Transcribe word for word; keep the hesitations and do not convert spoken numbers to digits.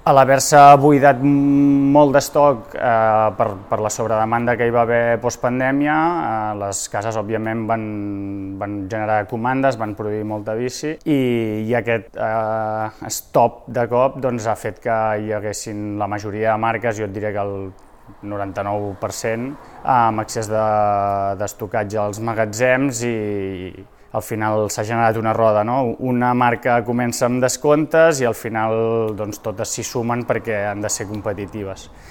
A l'haver-se buidat molt d'estoc eh, per, per la sobredemanda que hi va haver postpandèmia, eh, les cases òbviament van, van generar comandes, van produir molta bici i, i aquest eh, stop de cop doncs, ha fet que hi haguessin la majoria de marques, jo et diria que el noranta-nou per cent, amb excés d'estocatge als magatzems i al final s'ha generat una roda, no? Una marca comença amb descomptes i al final doncs, totes s'hi sumen perquè han de ser competitives.